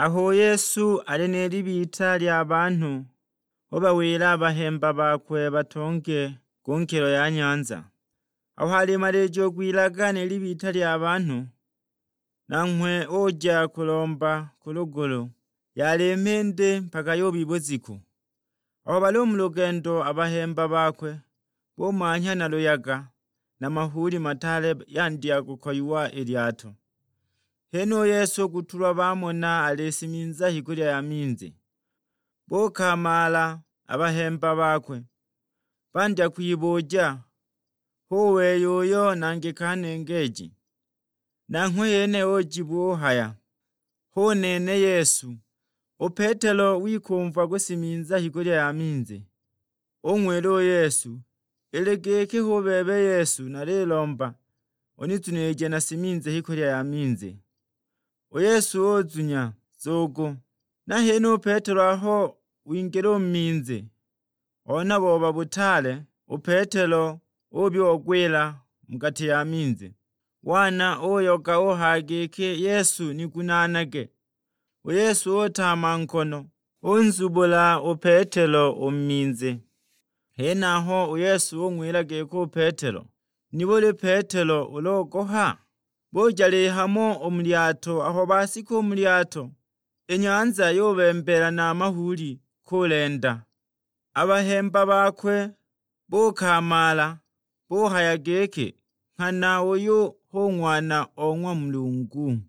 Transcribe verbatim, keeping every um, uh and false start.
Aho u Yesu ali ni libita lya banhu, ubawila a bahemba bakwe batonge ku nkilo ya nyanza. Aho alimalijiwa kwilaga ni libita lya banhu, nanghwe uja kulomba ku lugulu, yali mhindi mpaka yubi bujiku. Aho bali u mu lugendo, a bahemba bakwe bumanhya na luyaga, na mahuuli mataale yandya kukoyiwa i lyato. Hene u Yesu kutulwa bamona alisiminza hikulya ya minzi. Bukamala a bahemba bakwe, bandya kwibuja, "Hu wei uyo nangika nengeeji?" Nanghwe yene ujibu uhaya, "Hu nene Yesu." U Petelo wikumva gusiminza hikulya ya minzi, ung'wila u Yesu, "Ili giki hu bebe Yesu, nalilomba unizunije nasiminze hikulya ya minzi." U Yesu uzunya nzugu. Nahene u Petelo aho wingila u mu minzi, ona booba butaale, u Petelo ubyoogwila mu gati ya minzi. Wana uyoga uhaya giki, "Yesu, nigunaanage!" U Yesu utama nkono, unzubula u Petelo u mu minzi. Henaho u Yesu ung'wila giki u Petelo, "Nibuli Petelo ulogoha? Buja lihamo u mu lyato." Aho basika u mu lyato, i nyanza yubembeela na a mahuuli kulenda. A bahemba bakwe bukamala, buhaya giki, "Nghana uyu hu Ng'wana o ng'wa Mulungu."